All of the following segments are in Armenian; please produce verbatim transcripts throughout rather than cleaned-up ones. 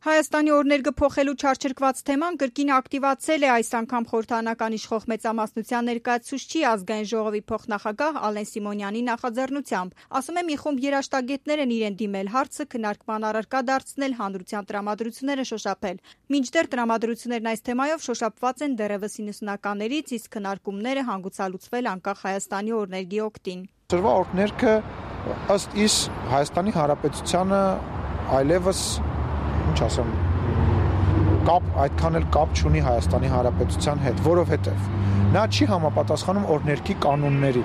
Հայաստանի օրներգը փոխելու չարչրկված թեման կրկին ակտիվացել է այս անգամ խորհրդարանական իշխող մեծամասնության ներկայացուցչի ազգային ժողովի փոխնախագահ Ալեն Սիմոնյանի նախաձեռնությամբ։ Ասում է, մի խումբ երաժշտագետներ են իրեն դիմել հարցը քննարկման առարկա դարձնել, հանրության տրամադրությունները շոշափել։ Մինչդեռ տրամադրություններն այս թեմայով շոշափված են դեռևս իննսունականներից, իսկ քննարկումները հանգուցալուծվել անկախ Հայաստանի օրներգի օգտին։ Սրվա օրներգը ըստ իս Հայաստանի Հանրապետությանը այլևս ինչ ասեմ, կապ, այդքան էլ կապ չունի Հայաստանի Հանրապետության հետ, որովհետև նա չի համապատասխանում օրներգի կանոնների։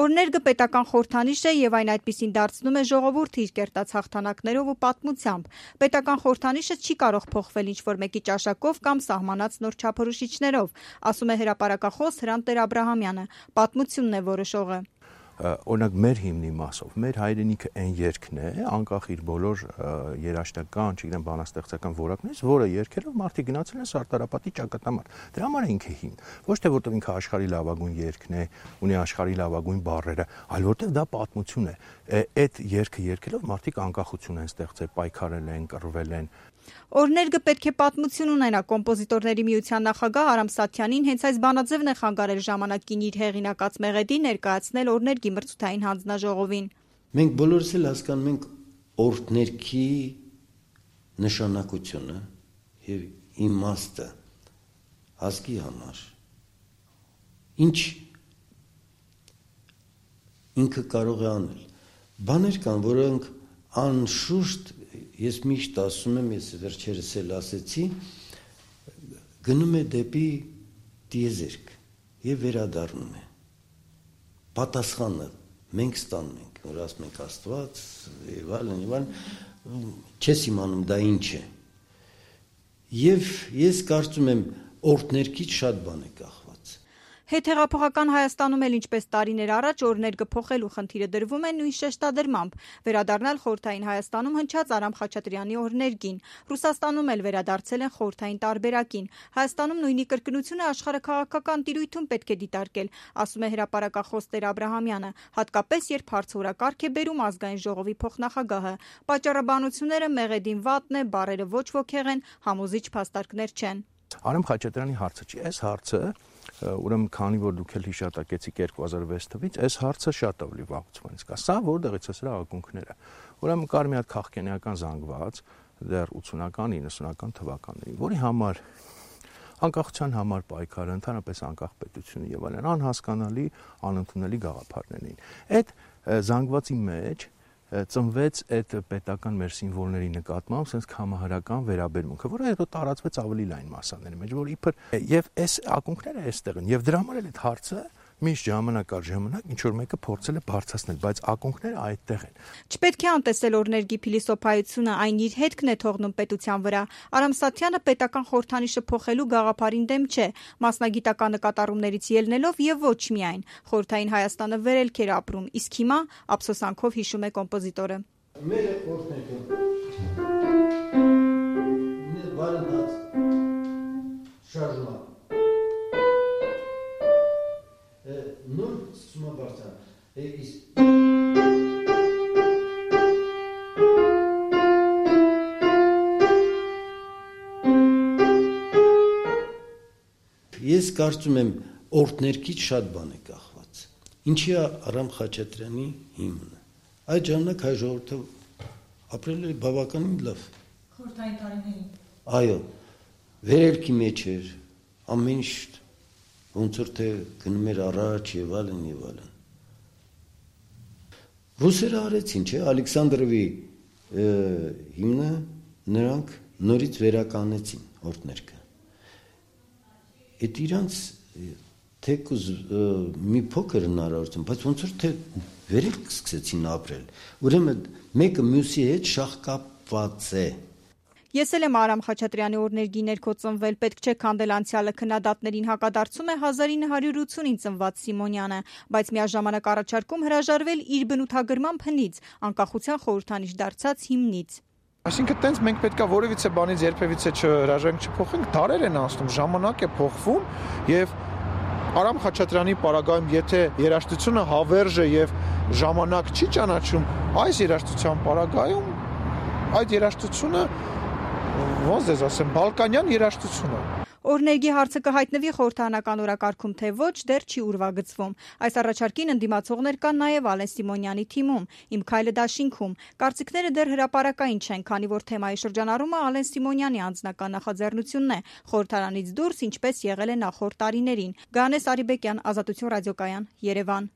Օրներգը պետական խորհրդանիշ է եւ այն այդպիսին դարձնում է ժողովուրդը իր կերտած հաղթանակներով ու պատմությամբ։ Պետական խորհրդանիշը չի կարող փոխվել ինչ-որ մեկի ճաշակով կամ սահմանած նոր չափորոշիչներով, ասում է հրապարակախոս Հրանտ Տեր-Աբրահամյանը։ Պատմությունն է որոշողը։ Օրինակ մեր հիմնի մասով, մեր հայրենիքը այն երգն է, անկախ իր բոլոր երաժշտական, չգիտեմ, բանաստեղծական որակներից, որը երգելով մարդիկ գնացել են Սարտարապատի ճակատամարտ։ Դրա համար է ինքը հիմն։ Ոչ թե որտեղ ինքը աշխարհի լավագույն երգն է, ունի աշխարհի լավագույն բառերը, այլ որտեղ դա պատմություն է։ Այդ երգը երգելով մարդիկ անկախություն են ստեղծել, պայքարել են, կռվել են։ Օրներգը պետք է պատմություն ունենա։ Կոմպոզիտորների միության նախագահ Արամ Սաթյանին հենց այս բանաձևն է խանգարել ժամանակին իր հեղինակած մեղեդի ներկայացնել օրներգի մրցութային հանձնաժողովին։ Մենք բոլորս էլ հասկանում ենք օրներգի նշանակությունը եւ իմաստը ազգի համար։ Ինչ ինքը կարող է անել։ Բաներ կան, որոնք անշուշտ ես միշտ ասում եմ, ես վերջերս էլ ասեցի, գնում է դեպի տիեզերք եւ վերադառնում է։ Պատասխանը մենք ստանում ենք, որ ասում ենք Աստված եւ այլն եւ այլն, չես իմանում դա ինչ է։ Եվ ես կարծում եմ օրներգից շատ բան է կախված։ Հետհեղափոխական Հայաստանում էլ ինչպես տարիներ առաջ օրներգը փոխելու խնդիրը դրվում է նույն շեշտադրմամբ, վերադառնալ խորհրդային Հայաստանում հնչած Արամ Խաչատրյանի օրներգին, Ռուսաստանում էլ վերադարձել են խորհրդային տարբերակին։ Հայաստանում նույնի կրկնությունը աշխարհաքաղաքական տիրույթում պետք է դիտարկել, ասում է հրապարակախոս Տեր-Աբրահամյանը, հատկապես երբ հարցորակարգ է բերում ազգային ժողովի փոխնախագահը։ Պատճառաբանությունները մեղեդին վատն է, բառերը ոչ ոգեղ են, համոզիչ փաստարկներ չեն։ Արամ Խաչատրյանի հարցը չի, այս հարցը ուրեմն քանի որ դուք էլ հիշատակեցիք երկու հազար վեց թվականից, այս հարցը շատ ավելի վաղուց կա։ Սա որտեղից է սրա ակունքները։ Ուրեմն կար մի հատ քաղաքենիական զանգված դեռ ութսունական իննսունական թվականներին, որի համար անկախության համար պայքարը, ընդհանրապես անկախ պետությունը եւ այլն անհասկանալի, անընդունելի գաղափարներ էին։ Այդ զանգվածի մեջ ծնվեց այդ պետական մեր սիմվոլների նկատմամբ sense համահարական վերաբերմունքը, որը հետո տարածվեց ավելի լայն մասաների մեջ, որ իբր եւ այս ակունքները այստեղ են եւ դրա համար էլ այդ հարցը միշտ ժամանակ առ ժամանակ ինչ որ մեկը փորձել է բարձրացնել, բայց ակունքները այդտեղ են։ Չպետք է անտեսել օրներգի փիլիսոփայությունը, այն իր հետքն է թողնում պետության վրա։ Արամ Սաթյանը պետական խորհրդանիշը փոխելու գաղափարին դեմ չէ, մասնագիտական նկատառումներից ելնելով եւ ոչ միայն։ Խորհրդային Հայաստանը վերելք էր ապրում, իսկ հիմա ափսոսանքով հիշում է կոմպոզիտորը։ Մեր օրներգը բարդաց շարժման նոր սումաբարձան էիս ես կարծում եմ օրներգից շատ բան է կախված։ Ինչի է Արամ Խաչատրյանի հիմնը։ Այդ ժամանակ հայ ժողովուրդը ապրել է բավականին լավ։ Խորհրդային տարիներին։ Այո, վերելքի մեջ էր, ամեն ինչ ոնց որ թե գնում էր առաջ եւ այլն եւ այլն։ Ռուսերը արեցին, չէ՞, Ալեքսանդրովի հիմնը նրանք նորից վերականեցին օրներգը։ Այդ իրանց թեկուզ մի փոքր հնարավորություն, բայց ոնց որ թե վերելք սկսեցին ապրել։ Ուրեմն մեկը մյուսի հետ շահկապված է։ Ես էլ եմ Արամ Խաչատրյանի օրներգի ներքո ծնվել, պետք չէ քանդել անցյալը քննադատներին հակադարձում է հազար ինը հարյուր ութսունին ծնված Սիմոնյանը, բայց միաժամանակ առաջարկում հրաժարվել իր բնութագրման հնից, անկախության խորհրդանիշ դարձած հիմնից։ Այսինքն տենց մենք պետքա որևիցե բանից երբևիցե չհրաժարենք, չփոխենք, դարեր են անցնում, ժամանակ է փոխվում եւ Արամ Խաչատրյանի պարագայում, եթե երաժշտությունը հավերժ է եւ ժամանակ չի ճանաչում, այս երաժշտության պարագայում այդ երաժշտությունը ոնց դες ասեմ, բալկանյան երաժշտություն է։ Օրներգի հարցը կհայտնվի խորհրդարանական օրակարգում, թե ոչ, դեռ չի ուրվագծվում։ Այս առաջարկին ընդդիմացողներ կան նաև Ալեն Սիմոնյանի թիմում, Իմ քայլը դաշինքում։ Կարծիքները դեռ հրապարակային չեն, քանի որ թեմայի շրջանառումը Ալեն Սիմոնյանի անձնական նախաձեռնությունն է, խորհրդարանից դուրս, ինչպես եղել է նախորդ տարիներին։ Գանես Արիբեկյան, Ազատություն ռադիոկայան, Երևան։